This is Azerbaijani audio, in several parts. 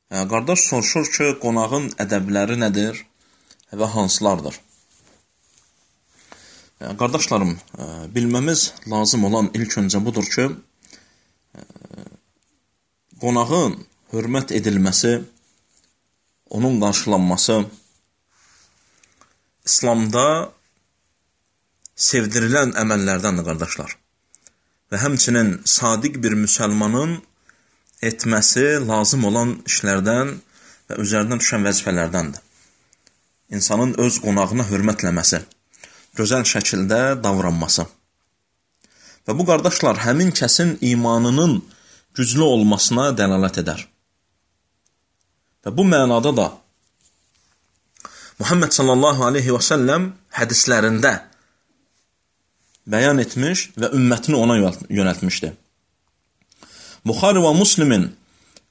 Qardaş soruşur ki, qonağın ədəbləri nədir və hansılardır? Qardaşlarım, bilməmiz lazım olan ilk öncə budur ki, qonağın hörmət edilməsi, onun qarşılanması İslamda sevdirilən əməllərdəndir, qardaşlar. Və həmçinin sadiq bir müsəlmanın etməsi lazım olan işlərdən və üzərindən düşən vəzifələrdəndir. İnsanın öz qonağına hörmətləməsi, gözəl şəkildə davranması. Və bu, qardaşlar, həmin kəsin imanının güclü olmasına dəlalət edər. Və bu mənada da Muhammed sallallahu aleyhi və səlləm hədislərində bəyan etmiş və ümmətini ona yönəltmişdir. Buxari və Müslimin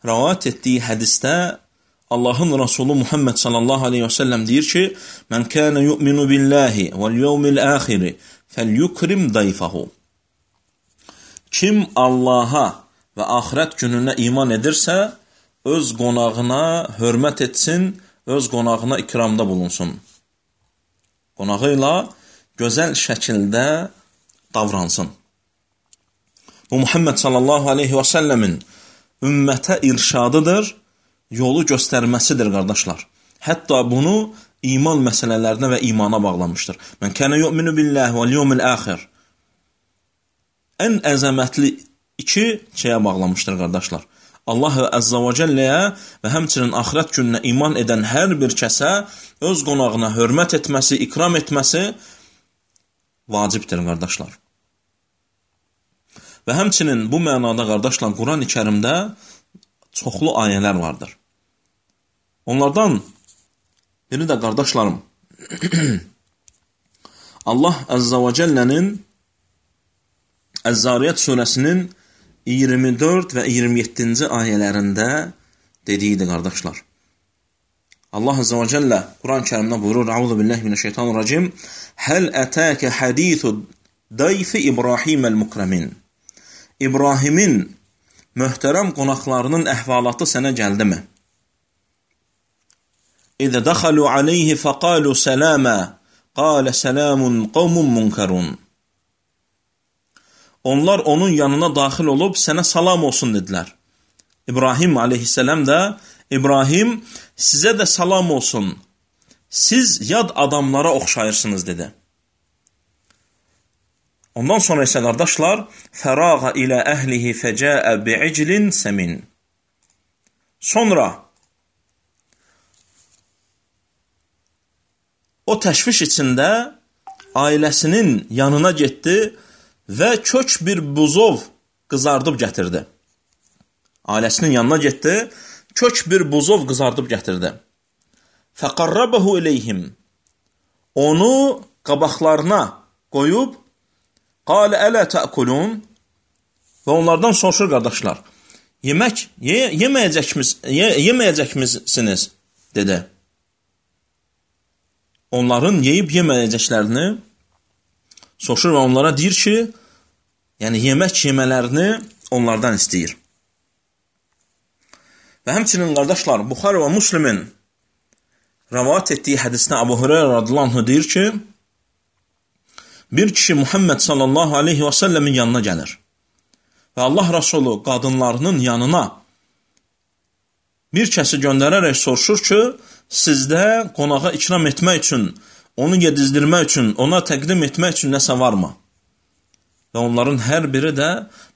rəvayət etdiyi hədisdə Allahın Rasulü Muhammed sallallahu aleyhi və səlləm deyir ki, "Mən kânə yu'minu billahi vel yevmil âxiri felyukrim dayfahu." Kim Allaha və axirət gününə iman edirsə, öz qonağına hörmət etsin, öz qonağına ikramda bulunsun. Qonağı ilə gözəl şəkildə davransın. Bu, Muhammed sallallahu aleyhi və səlləmin ümmətə irşadıdır, yolu göstərməsidir, qardaşlar. Hətta bunu iman məsələlərinə və imana bağlamışdır. Mən kənə yu'minu billahi vel yevmil âxir. Ən əzəmətli iki şeyə bağlamışdır, qardaşlar. Allah Əzzə və Cəlləyə və həmçinin axirət gününə iman edən hər bir kəsə öz qonağına hörmət etməsi, ikram etməsi vacibdir, qardaşlar. Və həmçinin bu mənada, qardaşlar, Quran-ı Kərimdə çoxlu ayələr vardır. Onlardan biri də, qardaşlarım, Allah Əzzə və Cəllənin Əz-Zariyyət surəsinin 24 və 27-ci ayələrində dediyidir, qardaşlar. Allah Əzzə və Cəllə Quran-ı Kərimdə buyurur, "Əuzu billahi mineşşeytanirracim. Həl ətəkə hadisu dayfi İbrahim'əl-mukramin." İbrahimin möhtərəm qonaqlarının əhvalatı sənə gəldimi? İzə dəxalu aleyhi fəqalu sələmə, qalə sələmun qavmun munkarun. Onlar onun yanına daxil olub sənə salam olsun dedilər. İbrahim aleyhissələm də, İbrahim, sizə də salam olsun. Siz yad adamlara oxşayırsınız, dedi. Ondan sonra isə, qardaşlar, fərağa ilə əhlihi fəcəə bi'iclin səmin. Sonra o təşviş içində ailəsinin yanına getdi və kök bir buzov qızardıb gətirdi. Ailəsinin yanına getdi, kök bir buzov qızardıb gətirdi. Fəqarrabəhu iləyhim. Onu qabaqlarına qoyub, qalə ələ təəkulun. Və onlardan soruşur, qardaşlar, yeməyəcəkmisiniz, dedi. Onların yeyib yeməyəcəklərini soruşur və onlara deyir ki, yəni yemək yemələrini onlardan istəyir. Və həmçinin, qardaşlar, Buxari və Müslimin rəvayət etdiyi hədisdə Əbu Hüreyrə radiyallahu anh deyir ki, bir kişi Muhammed sallallahu aleyhi və səlləmin yanına gəlir və Allah Rasulü qadınlarının yanına bir kəsi göndərərək soruşur ki, sizdə qonağa ikram etmək üçün, onu yedizdirmək üçün, ona təqdim etmək üçün nəsə varmı? Və onların hər biri də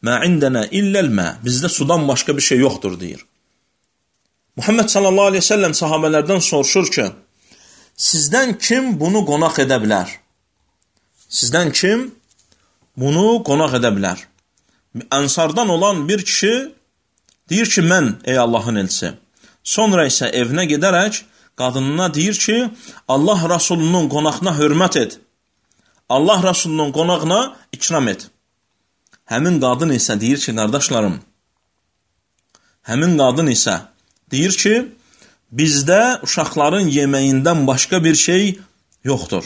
mə indənə illəlmə, bizdə sudan başqa bir şey yoxdur, deyir. Muhammed sallallahu aleyhi ve sellem sahabələrdən soruşur ki, sizdən kim bunu qonaq edə bilər? Sizdən kim bunu qonaq edə bilər? Ənsardan olan bir kişi deyir ki, mən, ey Allahın elçisi. Sonra isə evinə gedərək qadınına deyir ki, Allah Rasulunun qonağına hörmət et. Allah Rasulunun qonağına ikram et. Həmin qadın isə deyir ki, qardaşlarım, həmin qadın isə deyir ki, bizdə uşaqların yeməyindən başqa bir şey yoxdur.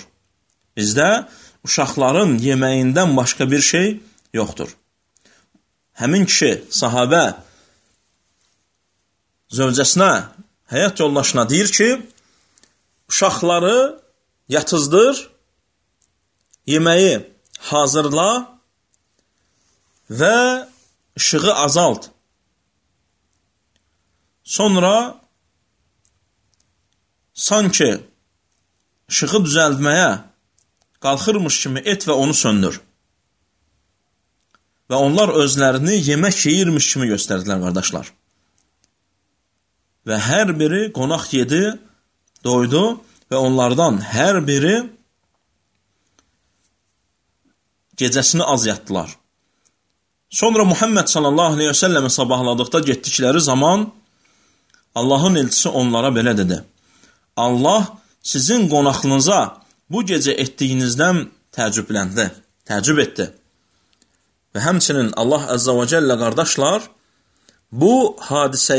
Bizdə uşaqların yeməyindən başqa bir şey yoxdur. Həmin kişi, sahabə zövcəsinə, həyat yoldaşına deyir ki, uşaqları yatızdır, yeməyi hazırla və işığı azalt. Sonra sanki işığı düzəltməyə qalxırmış kimi et və onu söndür. Və onlar özlərini yemək yeyirmiş kimi göstərdilər, qardaşlar. Və hər biri qonaq yedi, doydu və onlardan hər biri gecəsini az yatdılar. Sonra Muhammed sallallahu aleyhi və səlləmi sabahladıqda getdikləri zaman Allahın elçisi onlara belə dedi: Allah sizin qonaqlığınıza bu gecə etdiyinizdən təəccüb etdi. Və həmçinin Allah Əzzə və Cəllə, qardaşlar, bu hadisə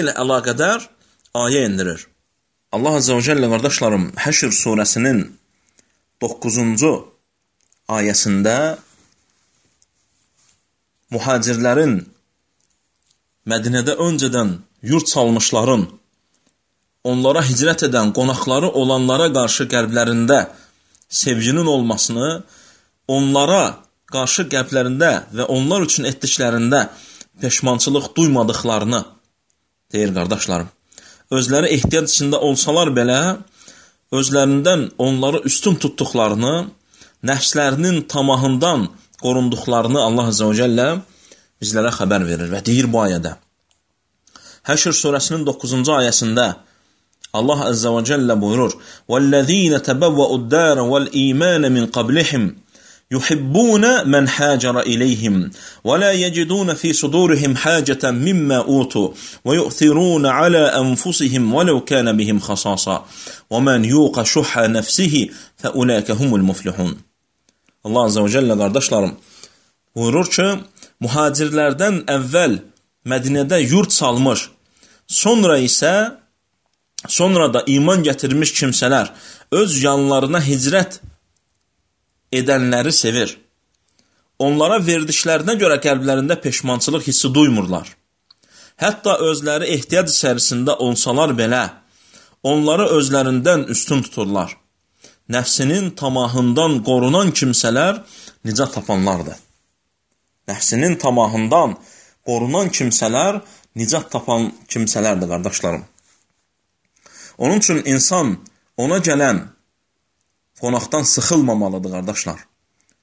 ilə əlaqədar ayə indirir. Allah Əzzə və Cəllə, qardaşlarım, Həşr surəsinin 9-cu ayəsində mühacirlərin, Mədinədə öncədən yurt salmışların, onlara hicrət edən qonaqları olanlara qarşı qəlblərində sevginin olmasını, onlara qarşı qəlblərində və onlar üçün etdiklərində peşmançılıq duymadıqlarını deyir, qardaşlarım. Özləri ehtiyac içində olsalar belə, özlərindən onları üstün tutduqlarını, nəfslərinin tamahından qorunduqlarını Allah Azə və Cəllə bizlərə xəbər verir və deyir bu ayədə. Həşr surəsinin 9-cu ayəsində Allah Azə və Cəllə buyurur: وَالَّذ۪ينَ تَبَوَّأُوا الدَّارَ وَالْإِيمَانَ مِنْ قَبْلِهِمْ يُحِبُّونَ مَنْ هَاجَرَ إِلَيْهِمْ وَلَا يَجِدُونَ فِي صُدُورِهِمْ حَاجَةً مِمَّا أُوتُوا وَيُؤْثِرُونَ عَلَى أَنفُسِهِمْ وَلَوْ كَانَ بِهِمْ خَصَاصَةٌ وَمَنْ يُوقَ شُحَّ نَفْسِهِ فَأُولَٰئِكَ هُمُ الْمُفْلِحُونَ. Allah Azə və Cəllə, qardaşlarım, buyurur ki, mühacirlərdən əvvəl Mədinədə yurt salmış, sonra da iman gətirmiş kimsələr öz yanlarına hicrət edənləri sevir. Onlara verdiklərinə görə qəlblərində peşmançılıq hissi duymurlar. Hətta özləri ehtiyac içərisində olsalar belə, onları özlərindən üstün tuturlar. Nəfsinin tamahından qorunan kimsələr nicat tapanlardır. Nəfsinin tamahından qorunan kimsələr nicat tapan kimsələrdir, qardaşlarım. Onun üçün insan ona gələn qonaqdan sıxılmamalıdır, qardaşlar.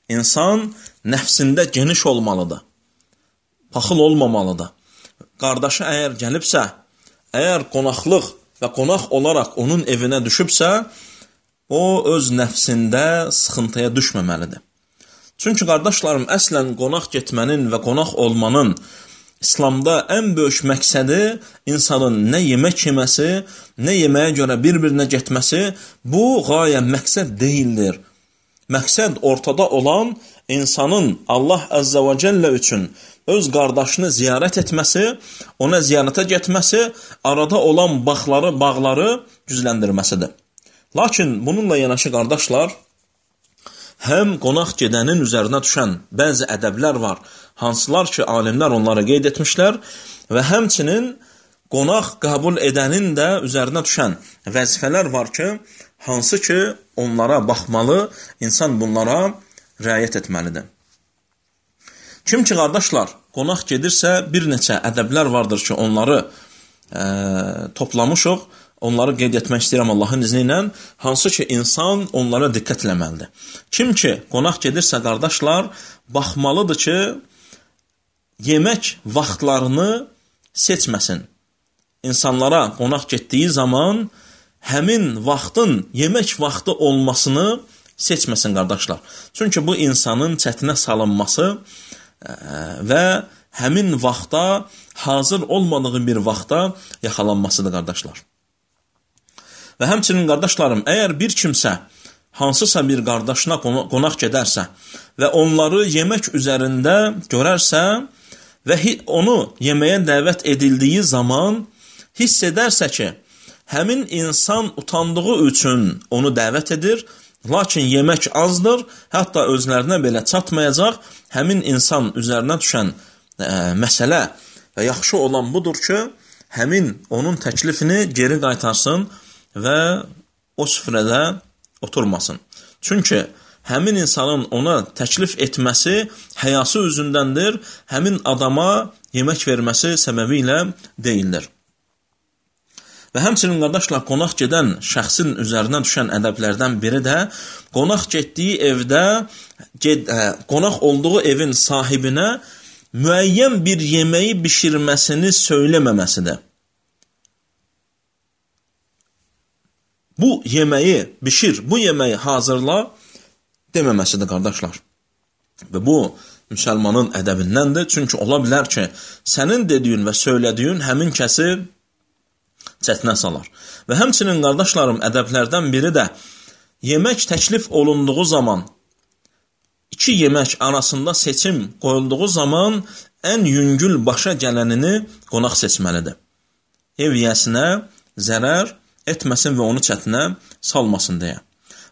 İnsan nəfsində geniş olmalıdır, paxıl olmamalıdır. Qardaşı əgər gəlibsə, əgər qonaqlıq və qonaq olaraq onun evinə düşübsə, o öz nəfsində sıxıntıya düşməməlidir. Çünki, qardaşlarım, əslən qonaq getmənin və qonaq olmanın İslamda ən böyük məqsədi insanın nə yemək yeməsi, nə yeməyə görə bir-birinə getməsi, bu qayə məqsəd deyildir. Məqsəd ortada olan insanın Allah Əzzə və Cəllə üçün öz qardaşını ziyarət etməsi, ona ziyarətə getməsi, arada olan bağları gücləndirməsidir. Lakin bununla yanaşı, qardaşlar, həm qonaq gedənin üzərinə düşən bəzi ədəblər var, hansılar ki, alimlər onları qeyd etmişlər və həmçinin qonaq qəbul edənin də üzərinə düşən vəzifələr var ki, hansı ki, onlara baxmalı, insan bunlara riayət etməlidir. Kim ki, qardaşlar, qonaq gedirsə, bir neçə ədəblər vardır ki, onları toplamışıq, onları qeyd etmək istəyirəm Allahın izni ilə, hansı ki, insan onlara diqqət eləməlidir. Kim ki, qonaq gedirsə, qardaşlar, baxmalıdır ki, yemək vaxtlarını seçməsin. İnsanlara qonaq getdiyi zaman həmin vaxtın yemək vaxtı olmasını seçməsin, qardaşlar. Çünki bu insanın çətinə salınması və həmin vaxta hazır olmadığı bir vaxta yaxalanmasıdır, qardaşlar. Və həmçinin, qardaşlarım, əgər bir kimsə hansısa bir qardaşına qonaq gedərsə və onları yemək üzərində görərsə və onu yeməyə dəvət edildiyi zaman hiss edərsə ki, həmin insan utandığı üçün onu dəvət edir, lakin yemək azdır, hətta özlərinə belə çatmayacaq, həmin insan üzərinə düşən məsələ Və yaxşı olan budur ki, həmin onun təklifini geri qaytarsın və o süfrədə oturmasın. Çünki həmin insanın ona təklif etməsi həyası üzündəndir, həmin adama yemək verməsi səbəbi ilə deyildir. Və həmçinin qardaşlar, qonaq gedən şəxsin üzərinə düşən ədəblərdən biri də qonaq getdiyi evdə, qonaq olduğu evin sahibinə müəyyən bir yeməyi bişirməsini söyləməməsidir. Bu yeməyi bişir, bu yeməyi hazırla deməməsidir, qardaşlar. Və bu, müsəlmanın ədəbindəndir. Çünki ola bilər ki, sənin dediyin və söylədiyin həmin kəsi çətinə salar. Və həmçinin, qardaşlarım, ədəblərdən biri də yemək təklif olunduğu zaman, iki yemək arasında seçim qoyulduğu zaman ən yüngül başa gələnini qonaq seçməlidir. Ev yiyəsinə zərər etməsin və onu çətinə salmasın deyə.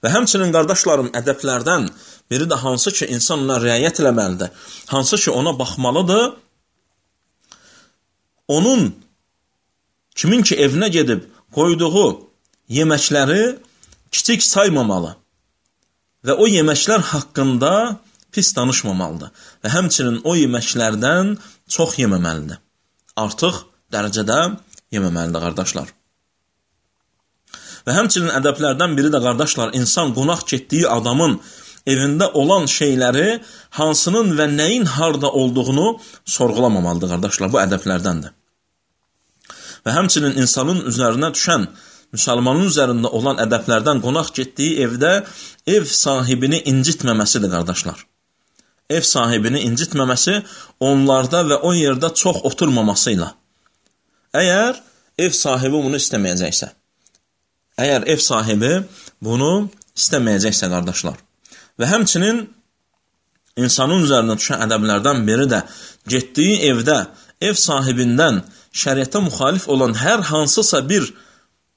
Və həmçinin, qardaşlarım, ədəblərdən biri də hansı ki, insan ona riayət eləməlidir, hansı ki, ona baxmalıdır, onun kimin ki evinə gedib qoyduğu yeməkləri kiçik saymamalı və o yeməklər haqqında pis danışmamalıdır və həmçinin o yeməklərdən çox yeməməlidir. Artıq dərəcədə yeməməlidir, qardaşlar. Və həmçinin ədəblərdən biri də, qardaşlar, insan qonaq getdiyi adamın evində olan şeyləri hansının və nəyin harda olduğunu sorğulamamalıdır, qardaşlar. Bu ədəblərdəndir. Və həmçinin insanın üzərinə düşən, müsəlmanın üzərində olan ədəblərdən qonaq getdiyi evdə ev sahibini incitməməsidir, qardaşlar. Ev sahibini incitməməsi onlarda və o yerdə çox oturmamasıyla. Əgər ev sahibi bunu istəməyəcəksə, qardaşlar. Və həmçinin insanın üzərinə düşən ədəblərdən biri də getdiyi evdə ev sahibindən şəriətə müxalif olan hər hansısa bir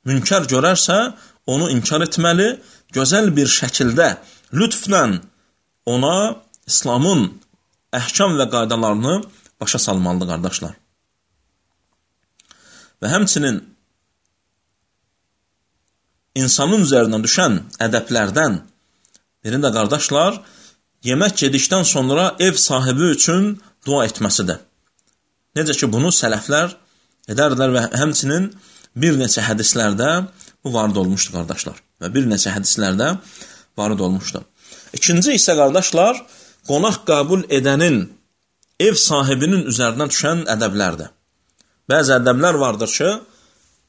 münkar görərsə, onu inkar etməli, gözəl bir şəkildə, lütflə ona İslamın əhkam və qaydalarını başa salmalıdır, qardaşlar. Və həmçinin insanın üzərinə düşən ədəblərdən biri də, qardaşlar, yemək yedikdən sonra ev sahibi üçün dua etməsidir. Necə ki, bunu sələflər edərlər və həmçinin bir neçə hədislərdə bu varid olmuşdur, qardaşlar. Və bir neçə hədislərdə varid olmuşdur. İkinci isə, qardaşlar, qonaq qəbul edənin ev sahibinin üzərinə düşən ədəblərdir. Bəzi ədəblər vardır ki,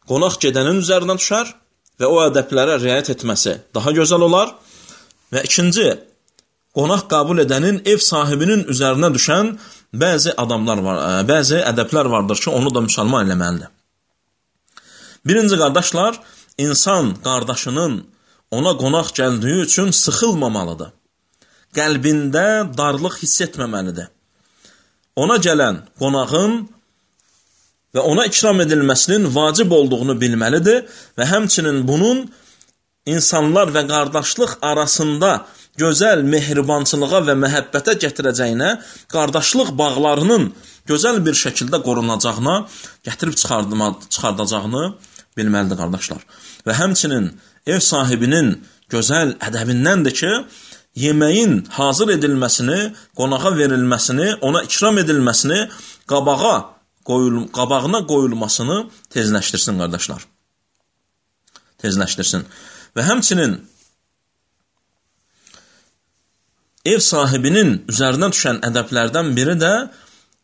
qonaq gedənin üzərinə düşər və o ədəblərə riayət etməsi daha gözəl olar. Və ikinci, qonaq qəbul edənin ev sahibinin üzərinə düşən bəzi ədəblər vardır ki, onu da müsəlman eləməlidir. Birinci, qardaşlar, insan qardaşının ona qonaq gəldiyi üçün sıxılmamalıdır. Qəlbində darlıq hiss etməməlidir. Ona gələn qonağın və ona ikram edilməsinin vacib olduğunu bilməlidir və həmçinin bunun insanlar və qardaşlıq arasında gözəl mehribançılığa və məhəbbətə gətirəcəyinə, qardaşlıq bağlarının gözəl bir şəkildə qorunacağına, gətirib çıxardacağını bilməlidir, qardaşlar. Və həmçinin ev sahibinin gözəl ədəbindəndir ki, yeməyin hazır edilməsini, qonağa verilməsini, ona ikram edilməsini, qabağına qoyulmasını tezləşdirsin, qardaşlar. Tezləşdirsin. Və həmçinin ev sahibinin üzərinə düşən ədəblərdən biri də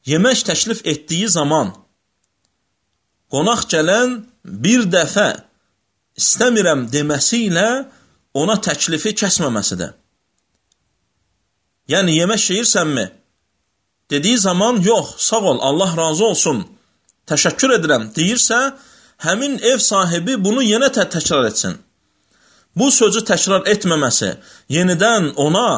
yemək təklif etdiyi zaman qonaq gələn bir dəfə istəmirəm deməsi ilə ona təklifi kəsməməsidir. Yəni, yemək yeyirsənmi? Dediyi zaman, yox, sağ ol, Allah razı olsun, təşəkkür edirəm deyirsə, həmin ev sahibi bunu yenə təkrar etsin. Bu sözü təkrar etməməsi, yenidən ona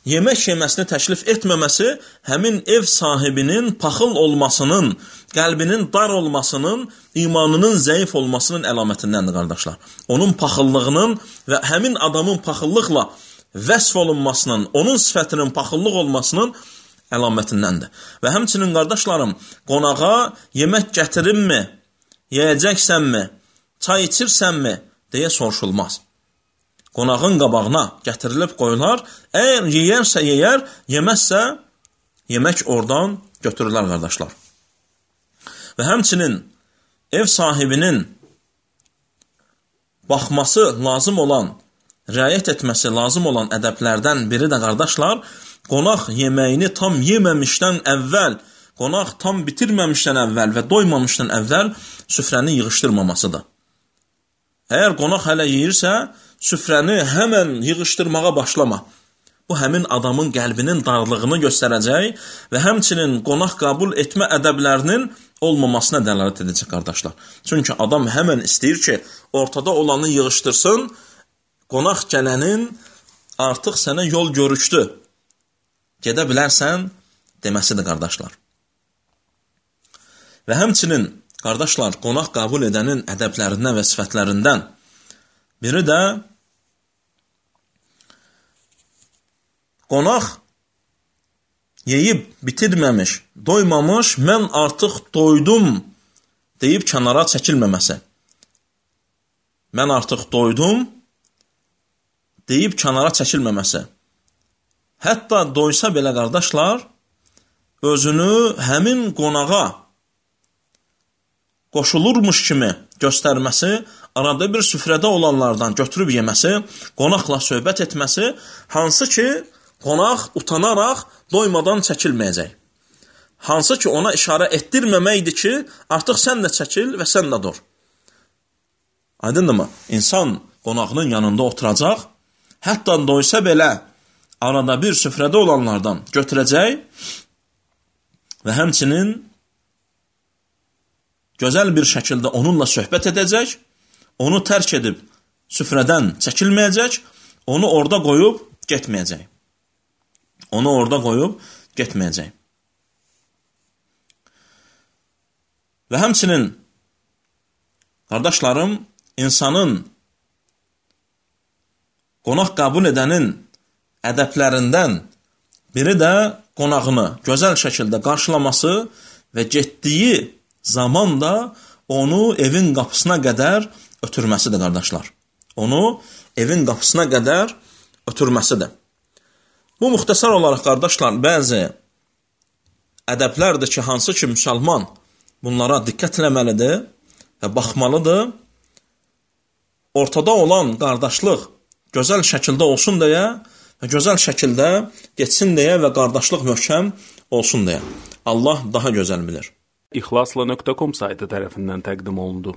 yemək yeməsini təklif etməməsi həmin ev sahibinin paxıl olmasının, qəlbinin dar olmasının, imanının zəif olmasının əlamətindəndir, qardaşlar. Onun paxıllığının və həmin adamın paxıllıqla vəsf olunmasının, onun sifətinin paxıllıq olmasının əlamətindəndir. Və həmçinin qardaşlarım, qonağa yemək gətirinmi, yeyəcəksənmi, çay içirsənmi deyə soruşulmaz. Qonağın qabağına gətirilib qoyular, əgər yeyərsə yeyər, yeməzsə yemək oradan götürürlər qardaşlar. Və həmçinin ev sahibinin baxması lazım olan, riayət etməsi lazım olan ədəblərdən biri də qardaşlar, qonaq yeməyini tam yeməmişdən əvvəl, qonaq tam bitirməmişdən əvvəl və doymamışdan əvvəl süfrəni yığışdırmamasıdır. Əgər qonaq hələ yeyirsə, süfrəni həmən yığışdırmağa başlama. Bu, həmin adamın qəlbinin darlığını göstərəcək və həmçinin qonaq qəbul etmə ədəblərinin olmamasına dəlalət edəcək qardaşlar. Çünki adam həmən istəyir ki, ortada olanı yığışdırsın, qonaq gələnin artıq sənə yol görüşdü, gedə bilərsən deməsidir qardaşlar. Və həmçinin qardaşlar, qonaq qəbul edənin ədəblərindən və sifətlərindən biri də qonaq yeyib bitirməmiş, doymamış, mən artıq doydum deyib kənara çəkilməməsi. Mən artıq doydum deyib kənara çəkilməməsi. Hətta doysa belə qardaşlar, özünü həmin qonağa qoşulurmuş kimi göstərməsi, arada bir süfrədə olanlardan götürüb yeməsi, qonaqla söhbət etməsi, hansı ki, qonaq utanaraq doymadan çəkilməyəcək. Hansı ki, ona işarə etdirməməkdir ki, artıq sən də çəkil və sən də dur. Aydındırmı? İnsan qonağının yanında oturacaq, hətta doysa belə arada bir süfrədə olanlardan götürəcək və həmçinin gözəl bir şəkildə onunla söhbət edəcək, onu tərk edib süfrədən çəkilməyəcək, onu orada qoyub getməyəcək. Onu orada qoyub getməyəcək. Və həmçinin, qardaşlarım, insanın qonaq qəbul edənin ədəblərindən biri də qonağını gözəl şəkildə qarşılaması və getdiyi zaman da onu evin qapısına qədər ötürməsidir, qardaşlar. Onu evin qapısına qədər ötürməsidir. Bu, müxtəsər olaraq, qardaşlar, bəzi ədəblərdir ki, hansı ki, müsəlman bunlara diqqət eləməlidir və baxmalıdır. Ortada olan qardaşlıq gözəl şəkildə olsun deyə və gözəl şəkildə geçsin deyə və qardaşlıq möhkəm olsun deyə. Allah daha gözəl bilir. İxlasla.com saytı tərəfindən təqdim olundu.